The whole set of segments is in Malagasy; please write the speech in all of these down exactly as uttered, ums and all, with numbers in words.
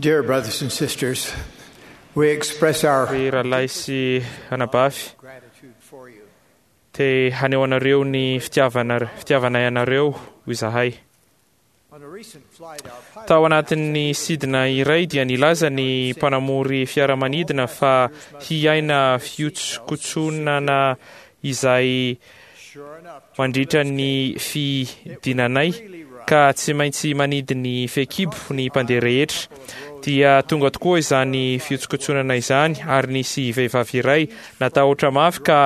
Dear brothers and sisters, we express our Ry rahalahy sy anabavy, gratitude for you. te haneho anareo ny fitiavana fitiavanay anareo izahay. On a recent flight, our pilot Tao anatin'ny sidina iray dia nilaza ny mpanamory fiaramanidina fa hiaina fihotsokotsonana izay sure enough, mandritra ny fidinanay ka tsy maintsy manidy ny fehikibo ny mpandeha rehetra. Dia tonga tokoa izany fihotsokotsonana izany ary nisy vehivavy iray natahotra mafy ka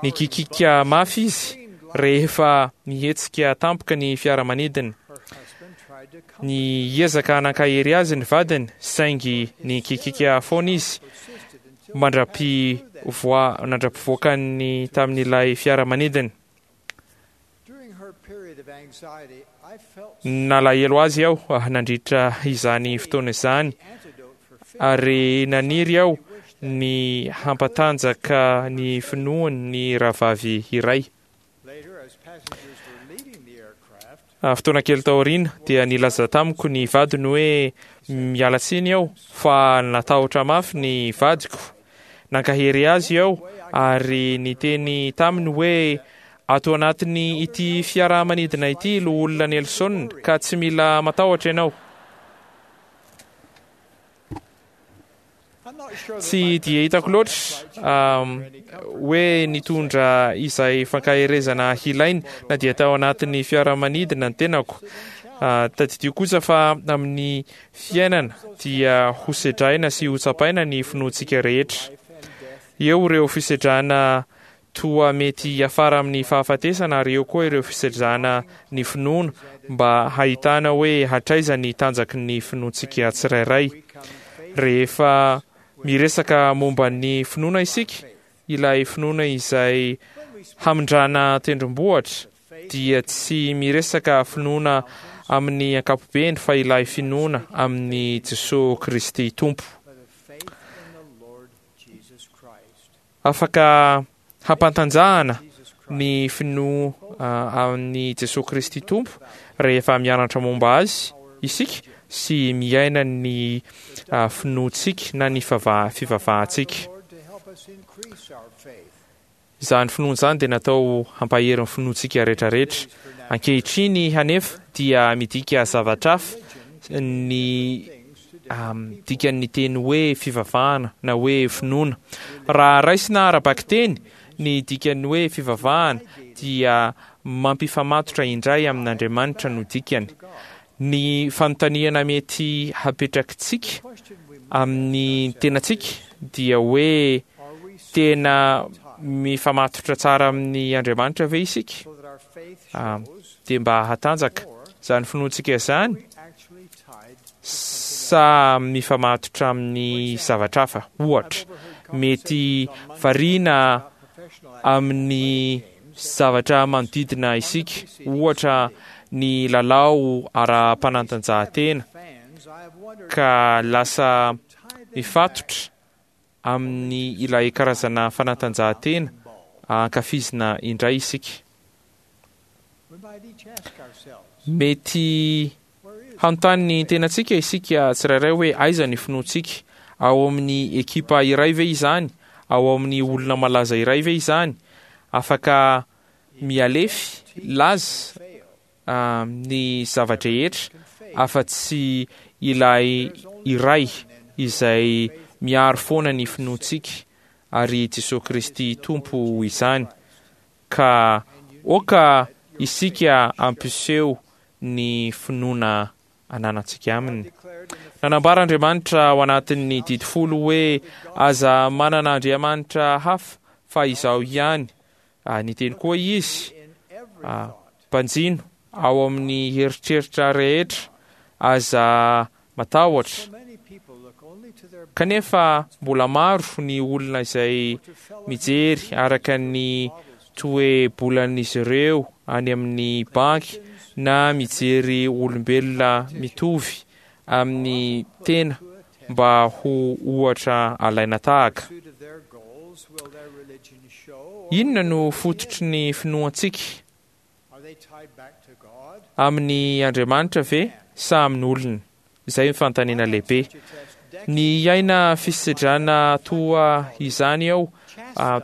nikikika mafy izy rehefa nihetsika tampoka ny fiaramanidina. her husband tried to comfort Niezaka nankahery azy ny vadiny saingy nikikika foana izy persisted until mandra-pivoa- mandra-pivoakany tamin'ilay fiaramanidina. during her period of anxiety, I felt Nalahelo azy aho ah, nandritra izany fotoana izany antidote for fear. ary naniry aho ny hampatanjaka ny finoany ny rahavavy iray. Later, as passengers were leaving the aircraft, Ah, Fotoana kely taoriana dia nilaza tamiko ny vadiny hoe miala tsiny aho fa natahotra mafy ny vadiko. Nankahery azy aho ary niteny taminy hoe ato anatin'ny ity fiaramanidina ity loholona Nelson ka tsy mila matahotra ianao. I'm not sure that Tsy my dia hitako loatra um, hoe nitondra izay fankaherezana hilainy na dia tao anatin'ny fiaramanidina ny tenako. Ah, Tadidio kosa fa amin'ny fiainana dia hosedraina sy hotsapaina ny finoantsika rehetra. life and death Eo ireo fisedrana toa mety hiafara amin'ny fahafatesana ary eo koa ireo fisedrana ny finoana mba hahitana hoe hatraiza ny tanjaky ny finoantsika tsirairay. we come faith Rehefa miresaka momba ny finoana isika, ilay finoana izay when we speak hamindrana tendrombohitra faith dia tsy miresaka finoana amin'ny ankapobeny fa ilay finoana amin'ny Jesosy Kristy Tompo. by the faith in the Lord Jesus Christ. Afaka hampantanjahana Jesus Christ ny finoa ah, amin'ny Jesosy Kristy Tompo rehefa mianatra momba azy isika sy miaina ny ah, finoantsika na ny fava- fivavahantsika. Lord to help us increase our faith. Izany finoana izany dia natao hampahery ny finoantsika rehetrarehetra. Ankehitriny hanefa dia midika zavatra hafa ny Things to um, dikan'ny teny hoe fivavahana na hoe finoana. Raha raisina ara-bakiteny ny dikan'ny hoe fivavahana dia mampifamatotra indray amin'Andriamanitra no dikany. Ny fanontaniana mety hapetrakitsika question we must amin'ny tenantsika dia hoe are we tena mifamatotra tsara amin'ny Andriamanitra ve isika? so that our faith Ah, shows Dia mba hatanjaka or izany finoantsika izany we actually tied sa mifamatotra amin'ny zavatra hafa. Ohatra, mety variana about professional amin'ny zavatra manodidina isika, ohatra ny lalao ara-panatanjahantena fans. I have wondered ka lasa tie them mifatotra amin'ny ilay karazana fanatanjahantena ankafizina indray isika. We might each ask ourselves, Mety where is hanontany ny tenantsika isika tsirairay hoe aiza ny finoantsika? Ao amin'ny ekipa iray ve izany? Ao amin'ny olona malaza iray ve izany? Afaka mialefy laza fail? ah, ny zava-drehetra Can fail. afa-tsy ilay iray izay miaro foana ny finoantsika ary Jesosy Kristy Tompo izany. Ka oka isika ampiseho ny finoana ananantsika aminy. Declared in the Nanambara Andriamanitra ao anatin'ny didy folo hoe aza manana Andriamanitra hafa fa izaho ihany. Ah, Niteny koa izy in every Ah. thought. mpanjino ao amin'ny eritreritra rehetra aza matahotra. So many people look only to their Kanefa mbola maro ny olona izay to fellow mijery araka ny toe-bolan'izy ireo any amin'ny banky na mijery olombelona mitovy amin'ny tena mba ho ohatra alaina tahaka. pursuit of their goals. Will their religion show? Or Inona no fototry ny finoantsika? are they tied back to God? Amin'ny Andriamanitra ve sa amin'olona? Izay ny fanontaniana lehibe. Ny aina fisedrana toa izany aho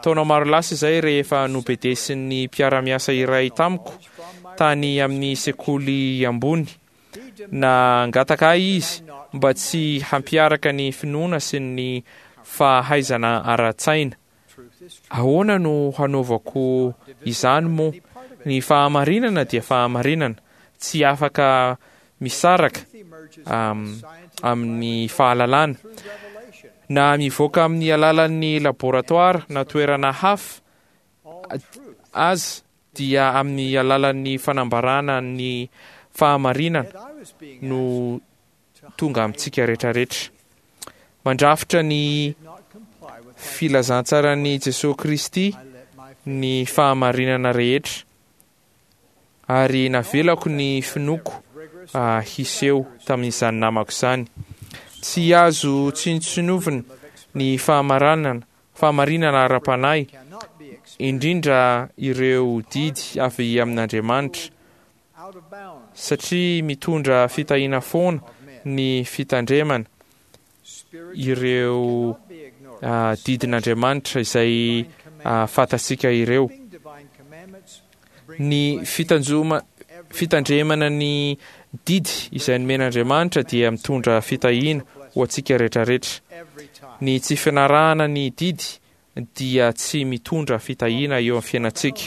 taona maro lasa izay, rehefa nobedesin'ny mpiara-miasa iray tamiko tany amin'ny sekoly ambony. Nangataka ahy izy mba tsy hampiaraka ny finoana sy ny fahaizana ara-tsaina. Ahoana no hanaovako izany moa? Ny fahamarinana dia fahamarinana, tsy afaka misaraka amin'ny fahalalana, na mivoaka amin'ny alalan'ny laboratoara na toerana hafa aza, dia amin'ny alalan'ny fanambarana ny fahamarinana no tonga amintsika rehetrarehetra. Mandrafitra ny filazantsaran'i Jesosy Kristy ny fahamarinana rehetra, ary navelako ny finoako hiseho tamin'izany namako izany. Tsy azo tsinontsinovina ny fahamarinana fahamarinana ara-panahy, indrindra ireo didy avy amin'Andriamanitra, satria mitondra fitahiana foana ny fitandremana ireo didin'Andriamanitra izay fantatsika ireo. Ny fitanjoma fitandremana ny didy izay nomen'Andriamanitra dia mitondra fitahiana ho antsika rehetrarehetra. Ny tsy fanarahana ny didy dia tsy mitondra fitahiana eo amin'ny fiainantsika.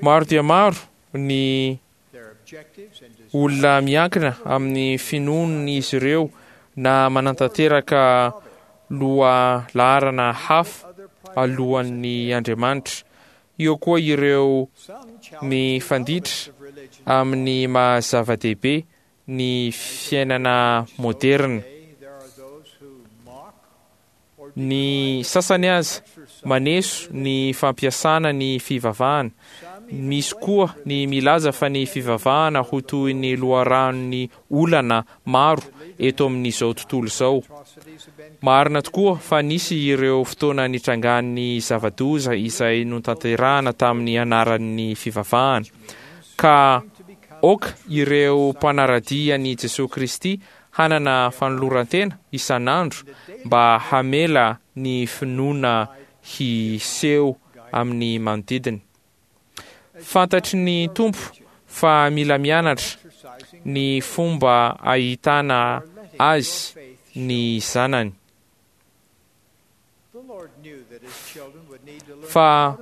Maro dia maro ny olona miankina amin'ny finoan'izy ireo na manantanteraka loha laharana hafa alohan'ny Andriamanitra. Eo koa ireo mifanditra amin'ny maha zava-dehibe ny fiainana moderna. Ny sasany aza maneso ny fampiasana ny fivavahana. Misy koa ny milaza fa ny fivavahana ho toy ny loharanon'ny olana maro eto amin'izao tontolo izao. Marina tokoa fa nisy ireo fotoana nitrangan'ny zava-doza izay notanterahana tamin'ny anaran'ny fivavahana, ka aoka ireo mpanara-dia an'i Jesosy Kristy hanana fanoloran-tena isan'andro mba hamela ny finoana hiseho amin'ny manodidiny. Fantatry ny Tompo fa mila mianatra ny fomba ahitana azy ny zanany. Fa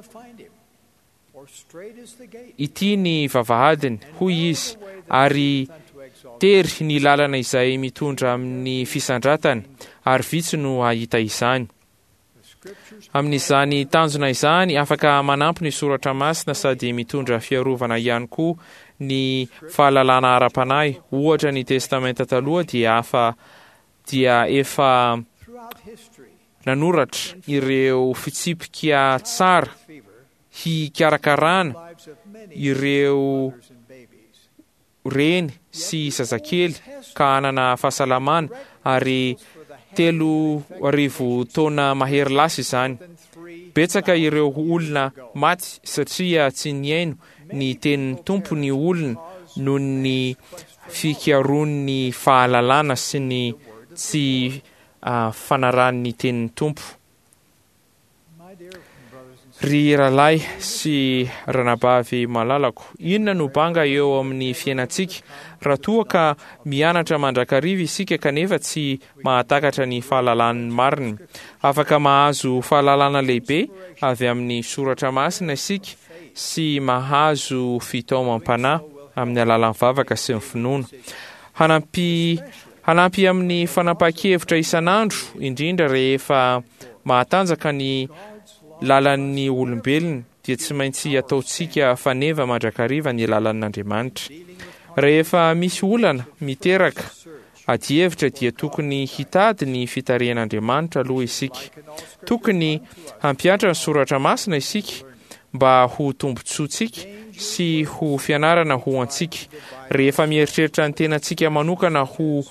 ity ny vavahadiny, hoy izy, ary tery ny lalana izay mitondra amin'ny fisandratana, ary vitsy no hahita izany. Amin'izany tanjona izany, afaka manampy ny soratra masina sady mitondra fiarovana ihany koa ny fahalalana ara-panahy. Ohatra, ny Testamenta Taloha dia afa dia efa nanoratra ireo fitsipika tsara hikarakarana ireo reny sy zazakely ka hanana fahasalamana, ary telo arivo taona mahery lasa izany. Betsaka ireo olona maty satria tsy nihaino ny tenin'ny Tompo ny olona noho ny fikaroan'ny fahalalana sy ny tsy fanarahan'ny tenin'ny Tompo. Ry rahalahy sy ranabavy malalako, inona no banga eo amin'ny fiainantsika raha toa ka mianatra mandrakariva isika kanefa tsy mahatakatra ny fahalalan'ny marina? Afaka mahazo fahalalana lehibe avy amin'ny soratra masina isika sy mahazo fitaomam-panahy amin'ny alalan'ny vavaka sy ny finoana. Hanampy hanampy amin'ny fanapahan-kevitra isan'andro, indrindra rehefa mahatanjaka ny lalan'ny olombelona, dia tsy maintsy ataontsika faneva mandrakariva ny lalan'Andriamanitra. Rehefa misy olana miteraka adihevitra dia tokony hitady ny fitarihan'Andriamanitra aloha isika. Tokony hampihatra ny soratra masina isika mba ho tombontsoantsika sy ho fianarana ho antsika. Rehefa mieritreritra ny tenantsika manokana ho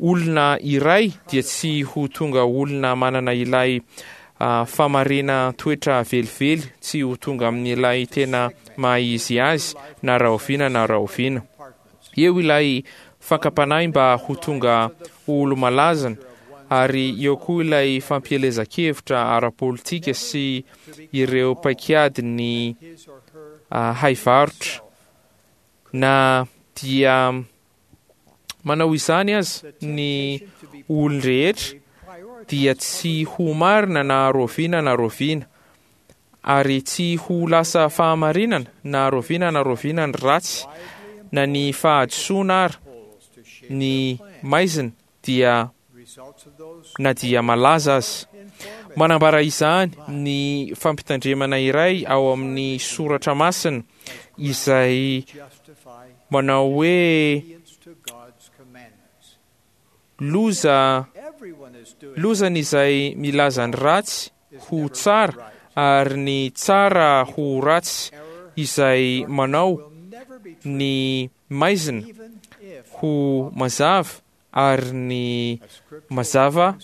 olona iray dia tsy ho tonga olona manana ilay famarena toetra velively, tsy ho tonga amin'ilay tena maha izy azy na rahoviana na rahoviana. Eo ilay fakam-panahy mba ho tonga ho olo-malazana, ary eo koa ilay fampielezan-kevitra ara-politika sy ireo paikady ny haivarotra. Na dia manao izany aza ny olon-drehetra dia tsy ho marina na roviana na roviana, ary tsy ho lasa fahamarinana na roviana na roviana ny ratsy na ny fahadisoana ary ny maizina dia na dia malaza aza. Manambara izany ny fampitandremana iray ao amin'ny soratra masina izay manao hoe loza lozany izay milaza ny ratsy ho tsara ary ny tsara ho ratsy, izay manao ny maizina ho mazava ary ny mazava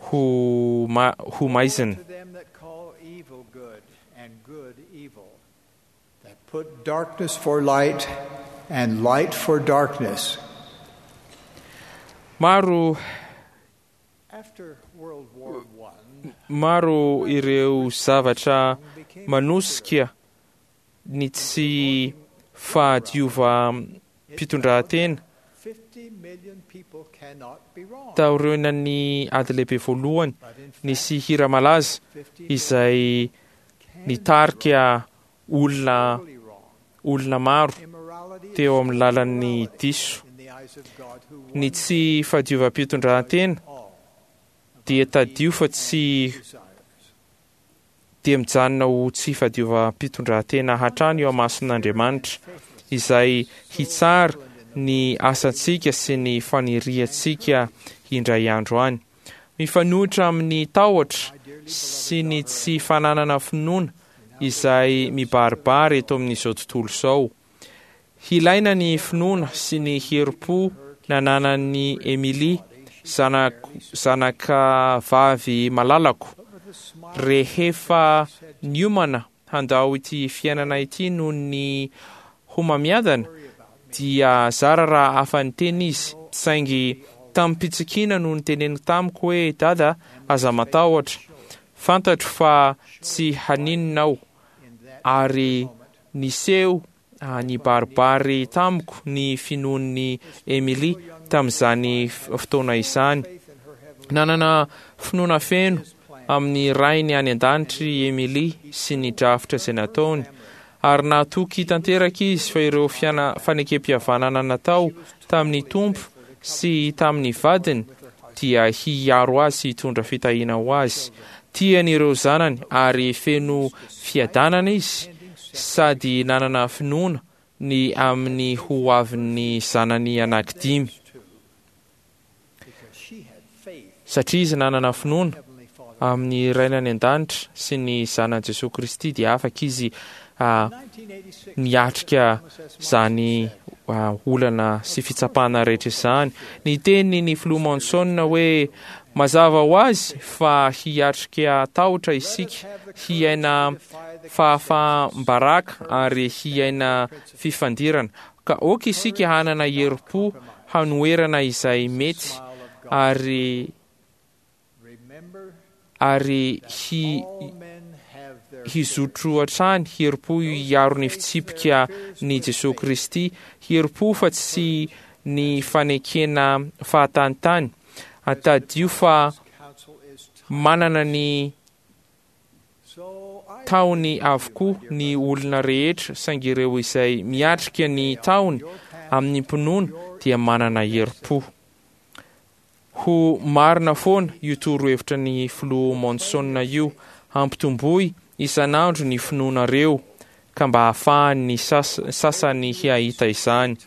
ho ma, ho maizina. Put darkness for light and light for darkness. Maro After World War One, maro ireo zavatra manosika ny tsy fahadiovam-pitondran-tena fifty million people cannot be wrong. Taorian'ny ady lehibe voalohany But in fact, nisy hira malaza fifty izay nitarika olona totally wrong. olona maro Immorality is teo amin'ny lalan'ny diso. in the eyes of God who Ny won tsy fahadiovam-pitondran-tena all dia tadio fa tsy desires. dia mijanona ho tsy fahadiovam-pitondran-tena hatrany eo amason'Andriamanitra izay hitsara ny asantsika sy ny faniriantsika indray andro any. Mifanohitra amin'ny tahotra sy ny tsy fananana finoana izay mibaribary eto amin'izao tontolo izao. Hilaina ny finoana sy ny herim-po nananan'i Emily, zanak- zanaka vavy malalako, rehefa niomana handao ity fiainana ity noho ny homamiadana, dia zara raha afa-niteny izy, saingy tamim-pitsikiana no niteneniko tamiko hoe: "Dada, aza matahotra, fantatro fa tsy haninona aho." Ary niseho nibaribary tamiko ny finoan'i Emily tamin'izany fotoana izany. Nanana finoana feno amin'ny rainy any an-danitra i Emily sy ny drafitra izay nataony, ary natoky tanteraka izy fa ireo fiana fanekem-pihavanana natao tamin'ny Tompo sy tamin'ny vadiny dia hiaro azy sy hitondra fitahiana ho azy. Tiany ireo zanany ary feno fiadanana izy, sady nanana finoana ny amin'ny ho avin'ny zanany anankidimy. Satria izy nanana finoana amin'ny rainy any an-danitra sy ny zanany Jesosy Kristy, dia afaka izy niatrika zany olana sy fitsapana rehetra izany. Niteny ny filoha Monson hoe mazava ho azy fa hiatrika tahotra isika, hiaina fahafaham-baraka ary hiaina fifandirana. Ka aoka isika hanana herim-po hanoherana izay mety ary ary hi hizotro hatrany herim-po hiaro ny fitsipika ny Jesosy Kristy, herim-po fa tsy ny fanekena fahatanitany. Atadio fa manana ny tahony avokoa ny olona rehetra, saingy ireo izay miatrika ny tahony amin'ny mpinoana dia manana herim-po. Ho marina foana io torohevitra ny filoha Monson io: hampitomboy isan'andro ny finoanareo ka mba hahafahan'ny sasany hahita izany.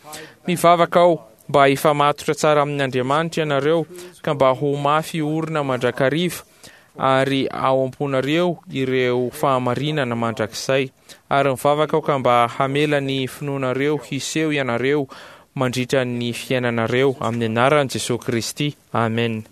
Mivavaka aho mba hifamatotra tsara amin'Andriamanitra ianareo ka mba ho mafy orina mandrakariva ary ao am-ponareo ireo fahamarinana mandrakizay. Ary mivavaka aho ka mba hamela ny finoanareo hiseho ianareo mandritra ny fiainanareo amin'ny anaran'i Jesosy Kristy. Amen.